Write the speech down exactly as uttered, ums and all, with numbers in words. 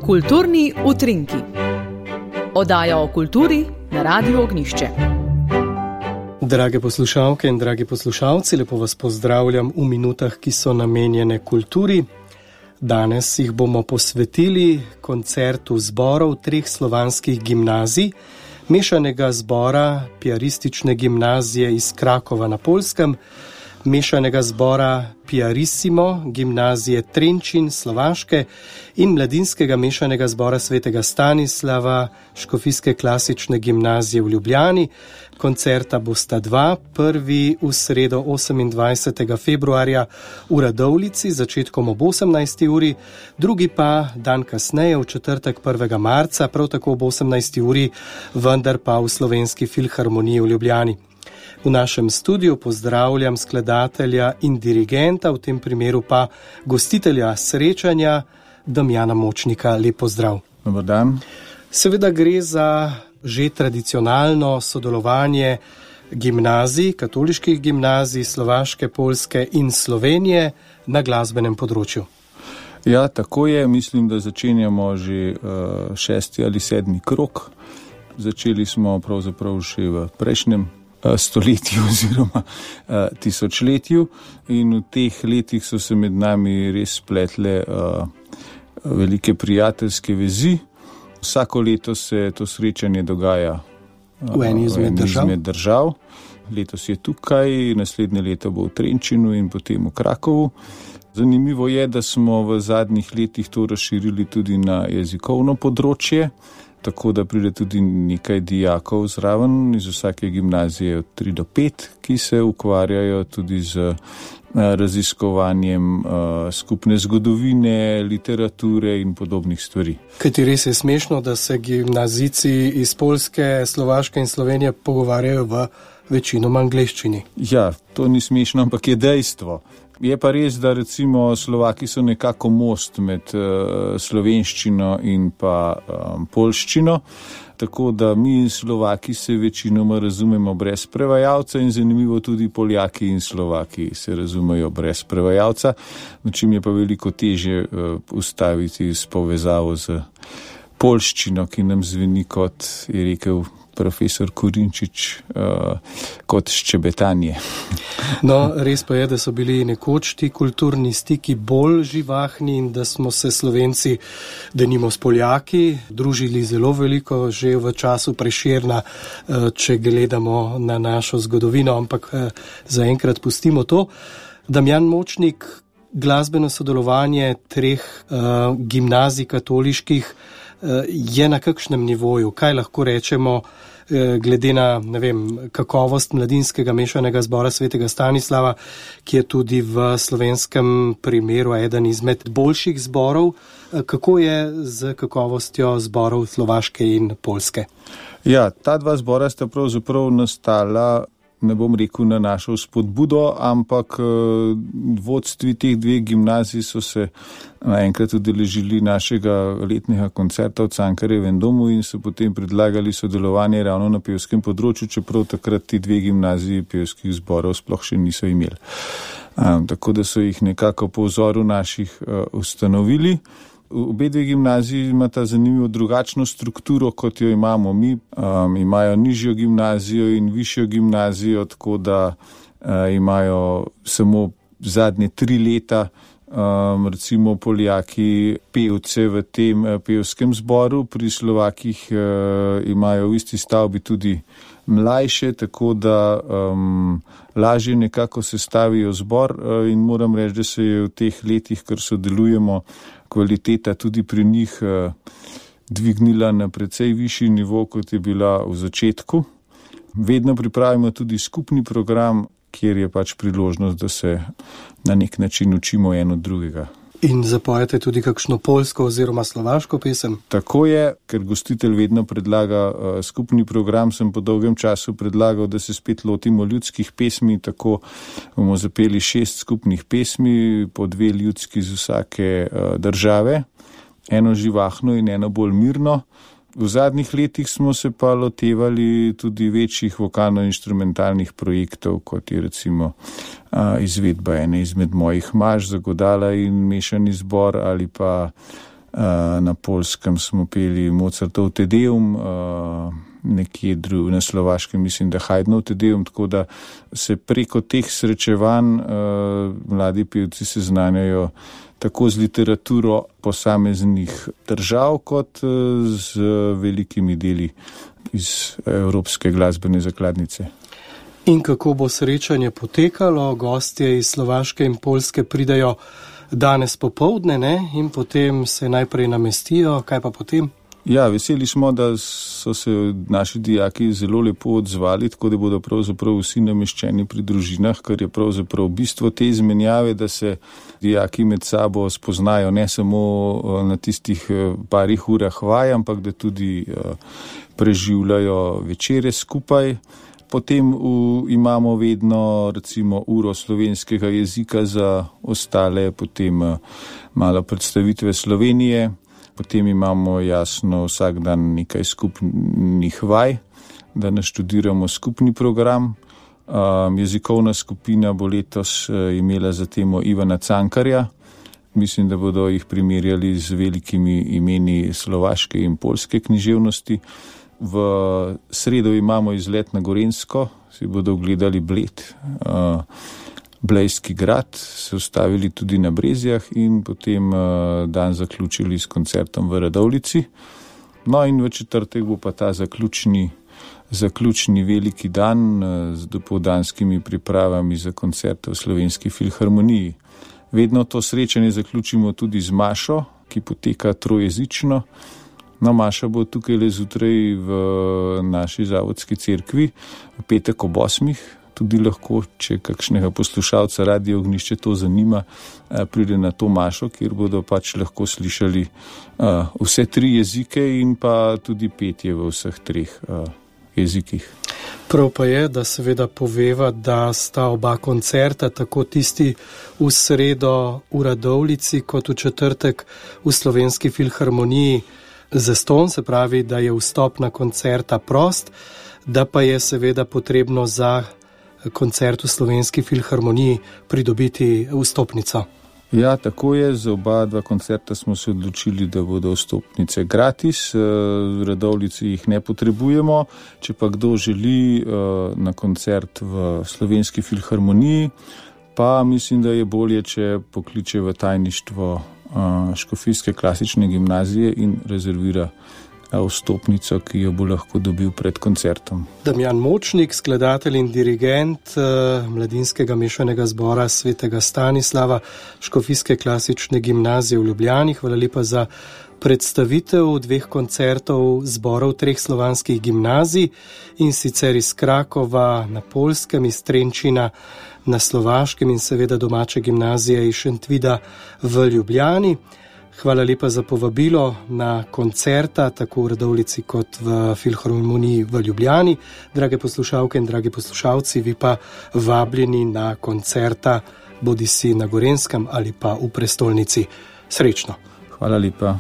Kulturni utrinki. Oddaja o kulturi na Radiu Ognjišče. Drage poslušalke in dragi poslušalci, lepo vas pozdravljam v minutah, ki so namenjene kulturi. Danes jih bomo posvetili koncertu zborov treh slovanskih gimnazij, mešanega zbora Piaristične gimnazije iz Krakova na Poljskem, mešanega zbora Piarissimo gimnazije Trenčin Slovaške in mladinskega mešanega zbora Svetega Stanislava Škofijske klasične gimnazije v Ljubljani. Koncerta bosta dva, prvi v sredo osemindvajsetega februarja v Radovljici, začetkom ob osemnajsti uri, drugi pa dan kasneje, v četrtek prvega marca, prav tako ob osemnajsti uri, vendar pa v Slovenski filharmoniji v Ljubljani. V našem studiu pozdravljam skladatelja in dirigenta, v tem primeru pa gostitelja srečanja, Damjana Močnika. Lep pozdrav. Dobar dan. Seveda gre za že tradicionalno sodelovanje gimnazij, katoliških gimnazij, Slovaške, Poljske in Slovenije na glasbenem področju. Ja, tako je. Mislim, da začenjamo že uh, šesti ali sedmi krog. Začeli smo pravzaprav še v prejšnjem stoletju oziroma uh, tisočletju in v teh letih so se med nami res spletle uh, velike prijateljske vezi. Vsako leto se to srečanje dogaja uh, v eni izmed držav. izmed držav. Letos je tukaj, naslednje leto bo v Trenčinu in potem v Krakovu. Zanimivo je, da smo v zadnjih letih to razširili tudi na jezikovno področje, tako da pride tudi nekaj dijakov zraven iz vsake gimnazije od tri do pet, ki se ukvarjajo tudi z raziskovanjem uh, skupne zgodovine, literature in podobnih stvari. Kajti res je smešno, da se gimnazijci iz Poljske, Slovaške in Slovenije pogovarjajo v večinoma angleščini. Ja, to ni smešno, ampak je dejstvo. Je pa res, da recimo Slovaki so nekako most med uh, slovenščino in pa um, poljščino, tako da mi Slovaki se večinoma razumemo brez prevajalca in zanimivo tudi Poljaki in Slovaki se razumejo brez prevajalca, na čim je pa veliko težje uh, ustaviti s povezavo z poljščino, ki nam zveni, kot je rekel profesor Korinčič, uh, kot ščebetanje. No, res pa je, da so bili nekoč ti kulturni stiki bolj živahni in da smo se Slovenci, denimo s Poljaki, družili zelo veliko že v času Prešerna, uh, če gledamo na našo zgodovino, ampak uh, zaenkrat pustimo to. Damjan Močnik, glasbeno sodelovanje treh uh, gimnazij katoliških uh, je na kakšnem nivoju? Kaj lahko rečemo glede na, ne vem, kakovost mladinskega mešanega zbora Svetega Stanislava, ki je tudi v slovenskem primeru eden izmed boljših zborov. Kako je z kakovostjo zborov Slovaške in Poljske? Ja, ta dva zbora sta pravzaprav nastala, ne bom rekel na našo spodbudo, ampak vodstvi teh dveh gimnazij so se naenkrat udeležili našega letnega koncerta v Cankarjevem domu in so potem predlagali sodelovanje ravno na pevskem področju, čeprav takrat ti dve gimnaziji pevskih zborov sploh še niso imeli. Um, tako da so jih nekako po vzoru naših uh, ustanovili. Obe dve gimnaziji imata zanimivo drugačno strukturo, kot jo imamo mi. Um, imajo nižjo gimnazijo in višjo gimnazijo, tako da uh, imajo samo zadnje tri leta um, recimo Poljaki pevce v tem uh, pevskem zboru, pri Slovakih uh, imajo v isti stavbi tudi mlajše, tako da um, lažje nekako sestavijo zbor uh, in moram reči, da se je v teh letih, kar sodelujemo, kvaliteta tudi pri njih uh, dvignila na precej višji nivo, kot je bila v začetku. Vedno pripravimo tudi skupni program, kjer je pač priložnost, da se na nek način učimo eno drugega. In zapojete tudi kakšno poljsko oziroma slovaško pesem? Tako je, ker gostitelj vedno predlaga uh, skupni program, sem po dolgem času predlagal, da se spet lotimo ljudskih pesmi, tako bomo zapeli šest skupnih pesmi, po dve ljudski z vsake uh, države, eno živahno in eno bolj mirno. V zadnjih letih smo se pa lotevali tudi večjih vokalno-inštrumentalnih projektov, kot je recimo a, izvedba ene izmed mojih maž za godala in mešani zbor ali pa na Poljskem smo peli Mozartov Te Deum, nekje dru, na Slovaškem mislim, da Haydnov Te Deum, tako da se preko teh srečevanj mladi pevci seznanjajo tako z literaturo posameznih držav, kot z velikimi deli iz evropske glasbene zakladnice. In kako bo srečanje potekalo? Gostje iz Slovaške in Poljske pridejo danes popoldne, ne? In potem se najprej namestijo. Kaj pa potem? Ja, veseli smo, da so se naši dijaki zelo lepo odzvali, tako da bodo pravzaprav vsi nameščeni pri družinah, kar je pravzaprav bistvo te izmenjave, da se dijaki med sabo spoznajo ne samo na tistih parih urah vaj, ampak da tudi preživljajo večere skupaj. Potem v, imamo vedno recimo uro slovenskega jezika za ostale, potem malo predstavitve Slovenije. Potem imamo jasno vsak dan nekaj skupnih vaj, da naštudiramo skupni program. Um, jezikovna skupina bo letos imela za temo Ivana Cankarja. Mislim, da bodo jih primerjali z velikimi imeni slovaške in poljske književnosti. V sredo imamo izlet na Gorenjsko, si bodo ogledali Bled, uh, Blejski grad, se ustavili tudi na Brezjah in potem uh, dan zaključili s koncertom v Radovljici. No in v četrtek bo pa ta zaključni, zaključni veliki dan uh, z dopoldanskimi pripravami za koncerte v Slovenski filharmoniji. Vedno to srečanje zaključimo tudi z mašo, ki poteka trojezično. No, maša bo tukaj le zjutraj v naši zavodski cerkvi, v petek ob osmih. Tudi lahko, če kakšnega poslušalca Radio Ognjišče to zanima, pride na to mašo, kjer bodo pač lahko slišali uh, vse tri jezike in pa tudi petje v vseh treh uh, jezikih. Prav pa je, da seveda poveva, da sta oba koncerta, tako tisti v sredo v Radovljici, kot v četrtek v Slovenski filharmoniji, zastonj, se pravi, da je vstop na koncerta prost, da pa je seveda potrebno za koncert v Slovenski filharmoniji pridobiti vstopnico. Ja, tako je. Za oba dva koncerta smo se odločili, da bodo vstopnice gratis. V Radovljici jih ne potrebujemo. Če pa kdo želi na koncert v Slovenski filharmoniji, pa mislim, da je bolje, če pokliče v tajništvo Škofijske klasične gimnazije in rezervira vstopnico, ki jo bo lahko dobil pred koncertom. Damjan Močnik, skladatelj in dirigent Mladinskega mešanega zbora Svetega Stanislava Škofijske klasične gimnazije v Ljubljani. Hvala lepa za predstavitev dveh koncertov zborov treh slovanskih gimnazij, in sicer iz Krakova na Poljskem, iz Trenčina na Slovaškem in seveda domače gimnazije iz Šentvida v Ljubljani. Hvala lepa za povabilo na koncerta, tako v Radovljici kot v Filharmoniji v Ljubljani. Drage poslušalke in dragi poslušalci, vi pa vabljeni na koncerta, bodisi na Gorenjskem ali pa v prestolnici. Srečno! Hvala lepa.